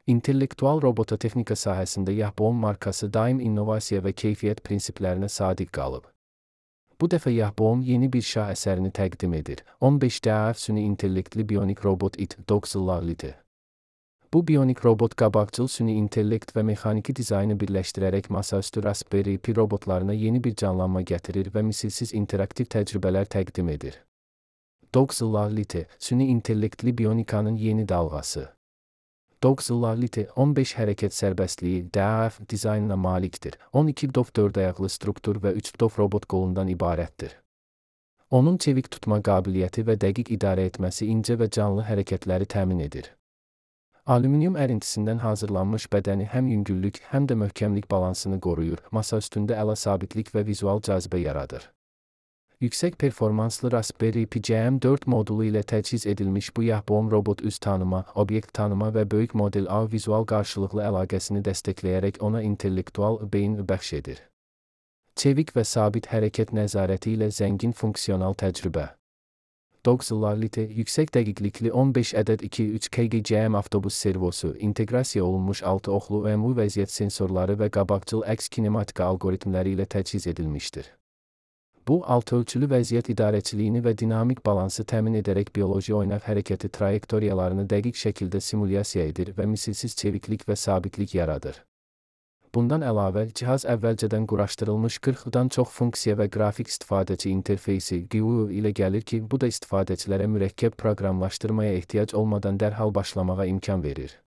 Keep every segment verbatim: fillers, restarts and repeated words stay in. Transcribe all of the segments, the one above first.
İntellektual robototexnika sahəsində Yahbon markası daim innovasiya və keyfiyyət prinsiplərinə sadiq qalıb. Bu dəfə Yahbon yeni bir şah əsərini təqdim edir. on beş D A F süni intellektli bionik robot it Doxil. Bu bionik robot qabaqcıl süni intellekt və mexaniki dizaynı birləşdirərək masaüstü Raspberry Pi robotlarına yeni bir canlanma gətirir və misilsiz interaktiv təcrübələr təqdim edir. Doxil süni intellektli bionikanın yeni dalğası. Doxil on beş hərəkət sərbəstliyi D A F dizaynına malikdir. on iki dof dörd ayaqlı struktur və üç dof robot qolundan ibarətdir. Onun çevik tutma qabiliyyəti və dəqiq idarə etməsi incə və canlı hərəkətləri təmin edir. Alüminium ərintisindən hazırlanmış bədəni həm yüngüllük, həm də möhkəmlik balansını qoruyur, masa üstündə əla sabitlik və vizual cazibə yaradır. Yüksək performanslı Raspberry Pi C M dörd modulu ilə təchiz edilmiş bu Yahbon robot üz tanıma, obyekt tanıma və böyük model A vizual qarşılıqlı əlaqəsini dəstəkləyərək ona intellektual beyin bəxş edir. Çevik və sabit hərəkət nəzarəti ilə zəngin funksional təcrübə. Doxil yüksək dəqiqlikli on beş ədəd iki üç K G C M avtobus servosu, inteqrasiya olunmuş altı oxlu U M U vəziyyət sensorları və qabaqcıl əks kinematika algoritmləri ilə təchiz edilmişdir. Bu, altı ölçülü vəziyyət idarəçiliyini və dinamik balansı təmin edərək bioloji oynaq hərəkəti trayektoriyalarını dəqiq şəkildə simulyasiya edir və misilsiz çeviklik və sabitlik yaradır. Bundan əlavə, cihaz əvvəlcədən quraşdırılmış qırxdan çox funksiya və qrafik istifadəçi interfeysi G U I ilə gəlir ki, bu da istifadəçilərə mürəkkəb proqramlaşdırmaya ehtiyac olmadan dərhal başlamağa imkan verir.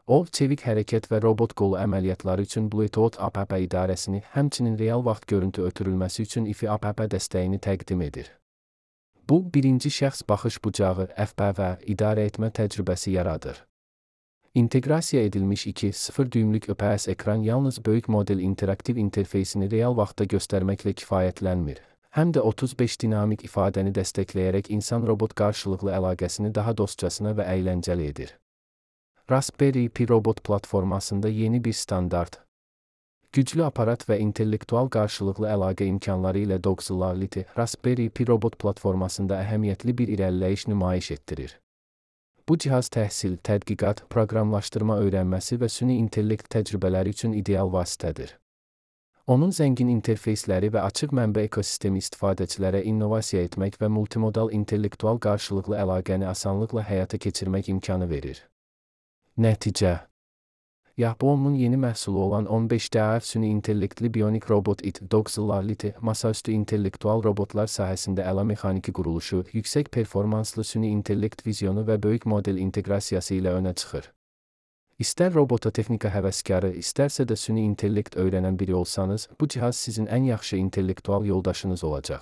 O, çevik hərəkət və robot qolu əməliyyatları üçün Bluetooth app idarəsini, həmçinin real vaxt görüntü ötürülməsi üçün I F I app dəstəyini təqdim edir. Bu, birinci şəxs baxış bucağı F P V idarə etmə təcrübəsi yaradır. İnteqrasiya edilmiş iki nöqtə sıfır düymlük I P S ekran yalnız böyük model interaktiv interfeysini real vaxtda göstərməklə kifayətlənmir. Həm də otuz beş dinamik ifadəni dəstəkləyərək insan-robot qarşılıqlı əlaqəsini daha dostcasına və əyləncəli edir. Raspberry Pi robot platformasında yeni bir standart. Güclü aparat və intellektual qarşılıqlı əlaqə imkanları ilə Doxil Raspberry Pi robot platformasında əhəmiyyətli bir irəliləyiş nümayiş etdirir. Bu cihaz təhsil, tədqiqat, proqramlaşdırma öyrənməsi və süni intellekt təcrübələri üçün ideal vasitədir. Onun zəngin interfeysləri və açıq mənbə ekosistemi istifadəçilərə innovasiya etmək və multimodal intellektual qarşılıqlı əlaqəni asanlıqla həyata keçirmək imkanı verir. Nəticə: Yahbonun yeni məhsulu olan on beş D A F süni intellektli bionik robot it Doxil masaüstü intellektual robotlar sahəsində əla mexaniki quruluşu, yüksək performanslı süni intellekt vizyonu və böyük model inteqrasiyası ilə önə çıxır. İstər robototexnika həvəskarı, istərsə də süni intellekt öyrənən biri olsanız, bu cihaz sizin ən yaxşı intellektual yoldaşınız olacaq.